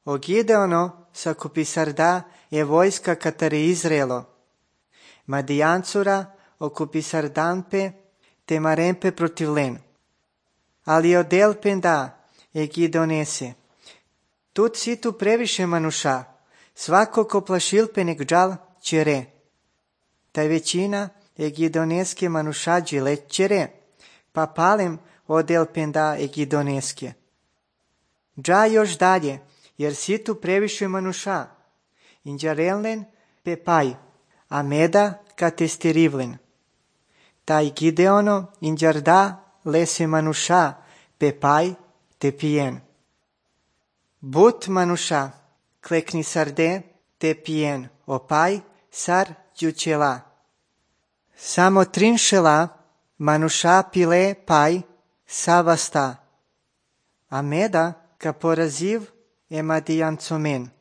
O Gideono s'occupisarda e vojska catare Izraelo. Madijancura occupisardampe temarempe protiv len. Ali odelpenda e Gideonese. Tut si tu previše manuša, svako ko plašilpe nek džal čere. Taj većina e Gideoneske manušađi let čere, pa palem odelpenda e Gideoneske. Dža još dalje, jer si tu previše manuša. Inđarelnen pe paj, a meda ka testirivlen. Taj Gideono inđarda lese manuša pe paj te pijen. But manuša, klekni sarde te pijen, opaj sar djučela. Samo trinšela manuša pile paj savasta, a meda ka poraziv e Madijancomen.